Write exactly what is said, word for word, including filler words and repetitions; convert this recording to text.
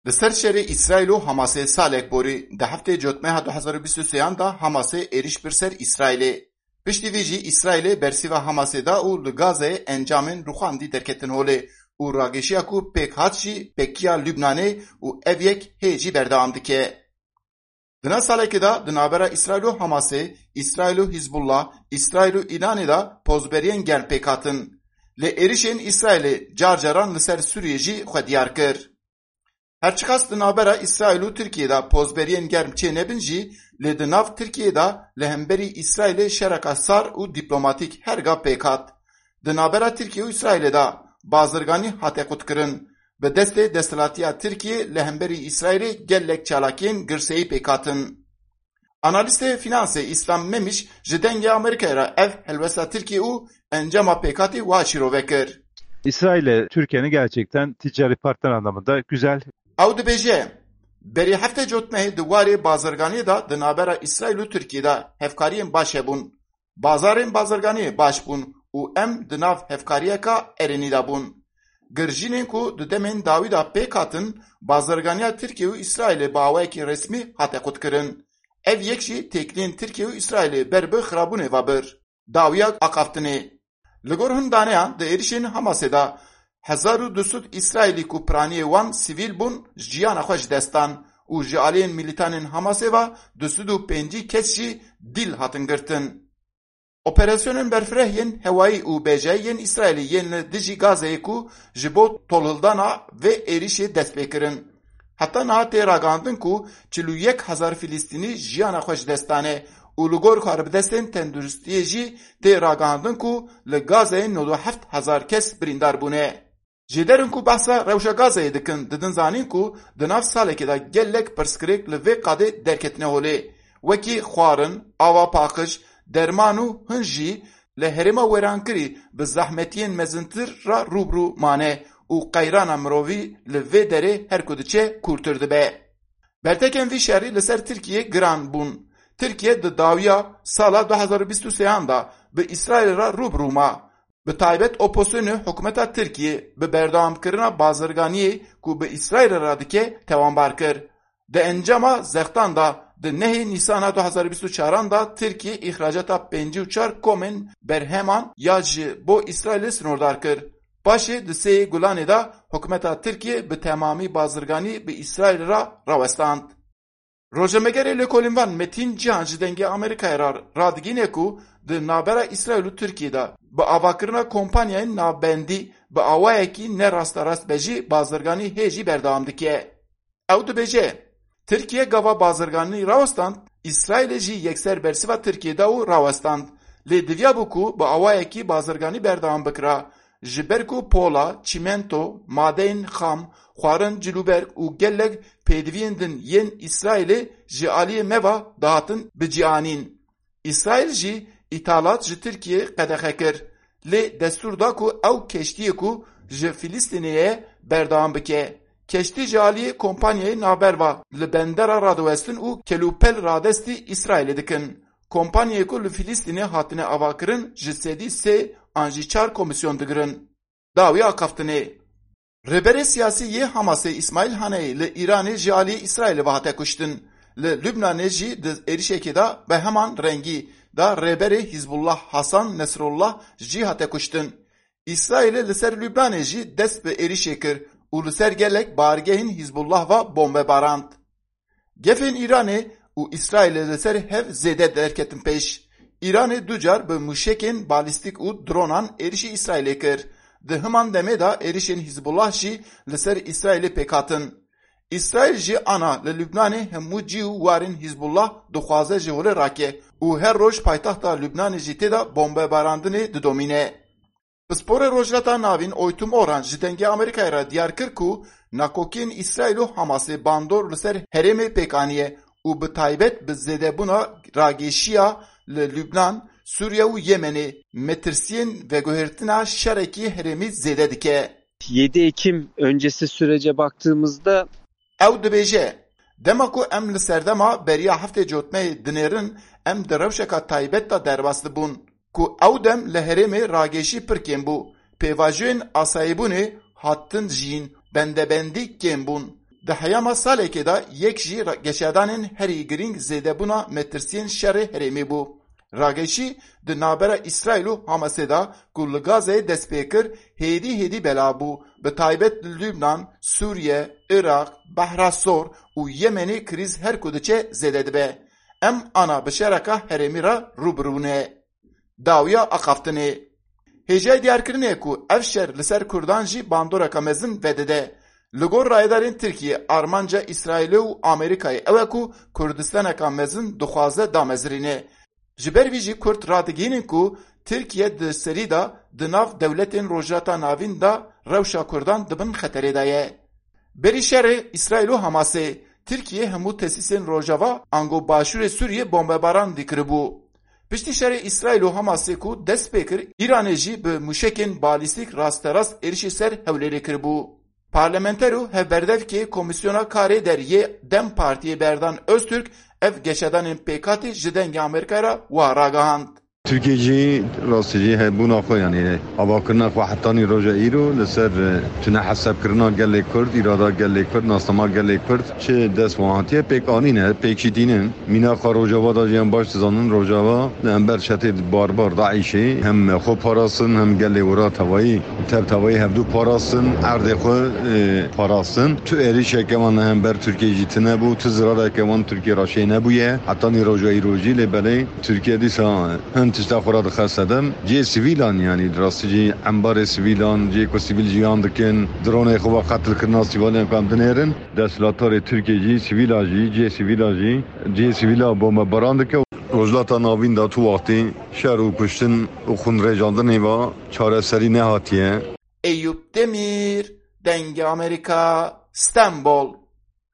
Li ser şerê Îsraîl û Hamasê salek borî, di heftê Cotmeha du hezar û bîst û sêyan de Hamasê êrîş bir ser Îsraîlê. Piştî vî jî Îsraîlê bersiva Hamasê da û li Gazeyê encamên rûxandî derketin holê û rageşiya ku pêk hat jî pekiya Lubnanê û ev yek hê jî berdewam dike. Di nav salekê de di navbera Îsraîl û Hamasê, Îsraîl û Hizbullah, Îsraîl û Îranê de pozberiyên germ pêk hatin. Lê êrişên Îsraîlê car caran li ser Sûriyê jî xwe diyar kir. Her çiqas di navbera Îsraîl û Tirkiyê de pozberiyên germ çênebin jî, lê di nav Tirkiyê de li hemberî Îsraîlê şereka sar û dîplomatîk her ga pêk hat. Di navbera Tirkiye û Îsraîlê de bazirganî hate qutkirin. Bi destê desthilatiya Tirkiyê li hemberî Îsraîlê gelek çalakiyên girseyî pêk hatin. Analîstê finansê Îslam Memiş ji Dengê Amerîkayê re ev helwesta Tirkiyê û encama pêkhatî wa şîrove kir. İsrail ile Türkiye'nin gerçekten ticari partner anlamında güzel. Ew dibêje, berî heftê Cotmehê di warê bazirganiyê de di navbera Îsraîl û Tirkiyê de hevkariyên baş hebûn. Bazarên bazirganiyê baş bûn û em di nav hevkariyeka erênî de bûn. Girjînên ku di demên dawî de pêk hatin, bazirganiya Tirkiye û Îsraîlê bi awayekî resmî hate qutkirin. Ev yek jî têkiliyên Tirkiye û Îsraîlê ber bi xirabûnê ve bir. Dawiya axaftinê. Li gor hin daneyan di êrişên Hamasê de hezar û du sed Îsraîlî ku piraniyê wan sivîl bûn jiyana xwe ji dest dan û ji aliyên milîtanên Hamasê ve du sed û pêncî kes jî dîl hatin girtin. Operasyonên berfireh yên hewayî û bejayî yên Îsraîlê yên li dijî Gazeyê ku ji bo tolhildana vê êrişê dest pê kirin. Heta niha tê ragihandin ku çil û yek hezar Filistînî jiyana xwe ji dest dane û li gor karbidestên tenduristiyê jî tê ragihandin ku li Gazeyê nod û heft hezar kes birîndar bûne. Jêder in ku behsa rewşa Gazeyê dikin, didin zanîn ku di nav salekê de gelek pirsgirêk li vê qadê derketine holê, wekî xwarin, ava paqij, derman û hin jî li herêma wêrankirî bi zehmetiyên mezintir re rû bi rû mane û qeyrana mirovî li vê derê her ku diçe kûrtir dibe. Bertekên vî şerî li ser Tirkiyê giran bûn. Tirkiye di dawiya sala du hezar û bîst û sêyan de bi Îsraîlê re rû bi rû ma. Bi taybet opozisyonê hikûmeta Tirkiyê bi berdewamkirina bazirganiyê ku bi Îsraîlê re dike tewanbar kir. Di encama zextan de di nehê Nîsana du hezar û bîst û çaran de Tirkiye îxracata pêncî û çar komên berheman ya ji bo Îsraîlê sinordar kir. Paşê di sêyê Gulanê de hikûmeta Tirkiyê bi temamî bazirganî bi Îsraîlê re rawestand. Rojnamegerê lêkolînvan Metîn Cihan ji Dengê Amerîkayê re radigîne ku di navbera Îsraîl û Tirkiyê de bi avakirina kompanyayên navbendî bi awayekî ne rasterast be jî bazirganî hê jî berdewam dike. Ew dibêje, Tirkiye gava bazirganî rawestand, Îsraîlê jî yekser bersiva Tirkiyê da û rawestand. Lê diviyabû ku bi awayekî bazirganî berdewam bikira. Ji ber ku pola, çîmento, madeyên xam, xwarin, cilûberg û gelek pêdiviyên din yên Îsraîlê ji aliyê me ve dihatin bicianîn. Îsraîl jî îthalat ji Tirkiyê qedexe kir, lê destûr da ku ew keştiyê ku ji Filistînê ye berdewam bike. Keştî ji aliyê kompanyayê navber ve li bendera radiwestin û kelûpel radestî Îsraîlê dikin. Kompanyayê ku li Filistînê hatine avakirin ji sedî sê an jî çar komîsyon digirin. Dawiya axaftinê. Rêberê siyasî yê Hamasê Îsmaîl Haneyê li Îranê ji aliyê Îsraîlê ve hate kuştin. Li Lubnanê jî di êrişekê de bi heman rengî de rêberê Hizbullah Hasan Nesrullah jî hate kuştin. Îsraîlê li ser Lubnanê jî dest bi êrişê kir û li ser gelek bargehên Hizbullah ve bombe barand. Gefên Îranê û Îsraîlê li ser hev zêde derketin pêş. Îranê du car bi mûşekên balîstîk û dronan êrişî Îsraîlê kir. Di himan demê de êrişên Hizbullah jî li ser Îsraîlê pêk hatin. Îsraîl jî ana li Lubnanê hemû cî û warên Hizbullah dixwaze ji holê rake û her roj paytexta Lubnanê jî tê de bombebarandinê didomîne. Pisporê Rojhilata Navîn Oytum Oran ji Dengê Amerîkayê re diyar kir ku nakokiyên Îsraîl û Hamasê bandor li ser herêmê pêk aniye û bi taybet bi zêdebûna ragêşiya li Lubnan, Sûriye û Yemenê metirsiyên veguhertina şerekî herêmî zêde dike. Yedi Ekim öncesi sürece baktığımızda Ew dibêje, dema ku em li serdema beriya heftê Cotmeyê dinêrin, em di rewşeka taybet de derbas dibûn. Ku ew dem li herêmê ragêşî pir kêm bû. Pêvajoyên asayîbûnê hatin jiyîn, bendebendî kêm bûn. Di heyama salekê de yek jî ra-, geşedanên herî girîng zêdebûna metirsiyên şerê herêmê bû. Rageşî di navbera Îsraîl û Hamasê de ku li Gazeyê dest pê kir, hêdî hêdî bela bû. Bi taybet li Lubnan, Sûriye, Iraq, Behra Sor û Yemenê krîz her ku diçe zêde dibe. Em ana bi şereka herêmî re rû bi rû ne. Dawiya axaftinê. Hêjayî diyarkirinê ye ku ev şer li ser Kurdan jî bandoreka mezin vedide. Li gor rayedarên Tirkiye, armanca Îsraîlê û Amerîkayê ew e ku Kurdistaneka mezin dixwaze damezirîne. Ji ber vî jî Kurd radigihînin ku Tirkiye di serî de di nav dewletên Rojhilata Navîn de rewşa Kurdan di bin xeterê de ye. Berî şerê Îsraîl û Hamasê, Tirkiye hemû tesîsên Rojava ango Başûrê Sûriyê bombebaran dî kiribû. Piştî şerê Îsraîl û Hamasê ku dest pê kir, Îranê jî bi mûşekên balîstîk rasterast êrişî ser Hewlêrê kiribû. Parlamenter û hevberdevkê Komîsyona Karê Derê yê DEM Partiyê Berdan Öztürk ev geşedanên pêkhatî ji Dengê Amerîkayê re wiha ragihand. Tirkiye jî rastî jî hebûna xwe, yanî avakirina xwe hetanî roja îro li ser, e, tune hesabkirina gelê Kurd, îrada gelê Kurd, nasnama gelê Kurd çi dest wan hatiye pêk anîne, pêk jî tînin. Mînaxa Rojava de jî em baş dizanin, Rojava li hember çetê barbar DAIŞê hem xwe parastin, hem gelê wira tevayî, tev tevayî hevdû parastin, erdê xwe, e, parastin. Tu êrîşeke wan li hember Tirkiye jî tune bû, tu zirareke wan Tirkiye re çê nebûye. Hetanî roja îro jî lê belê Tirkiye dîsa hin tişta xwe re dixe sedem. Cihê sivîlan, yanî di rastî jî embarê sivîlan, cihê ku sivîl jiyan dikin, dronê xwe ve qetilkirina sivîlan ku em dinêrin. Desthilatdarê Tirkiye jî sivîla jî, cihê sivîla jî, cihê sivîla bombebaran dike. Rojhilata Navîn de tu wextî şer û kuştin û xwînrêjandinê ve çareserî nehatiye. Eyûp Demîr, Dengê Amerîka, Stenbol.